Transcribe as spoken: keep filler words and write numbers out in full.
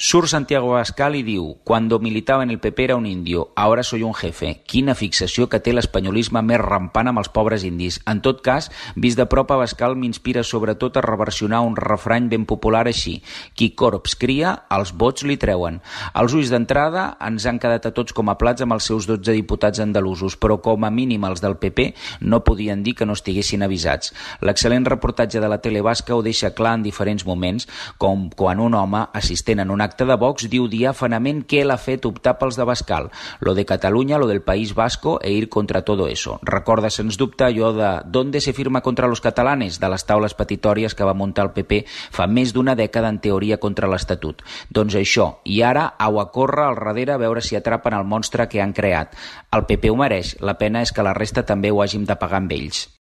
Surt Santiago Abascal i diu: «Cuando militaba en el P P era un indio, ahora soy un jefe». Quina fixació que té l'espanyolisme més rampant amb els pobres indis. En tot cas, vist de prop, Abascal m'inspira sobretot a reversionar un refrany ben popular així: «Qui corbs cria, els vots li treuen». Els ulls d'entrada ens han quedat a tots com a plats amb els seus dotze diputats andalusos, però com a mínim els del P P no podien dir que no estiguessin avisats. L'excel·lent reportatge de la tele basca ho deixa clar en diferents moments, com quan un home, assistent en un acte de Vox, diu diàfanament què l'ha fet optar pels d'Abascal. Lo de Catalunya, lo del País Vasco e ir contra todo eso. Recorda, sens dubte, allò de «¿Dónde se firma contra los catalanes?» de les taules petitòries que va muntar el P P fa més d'una dècada en teoria contra l'Estatut. Doncs això, i ara au a córrer al darrere a veure si atrapen el monstre que han creat. El P P ho mereix, la pena és que la resta també ho hàgim de pagar amb ells.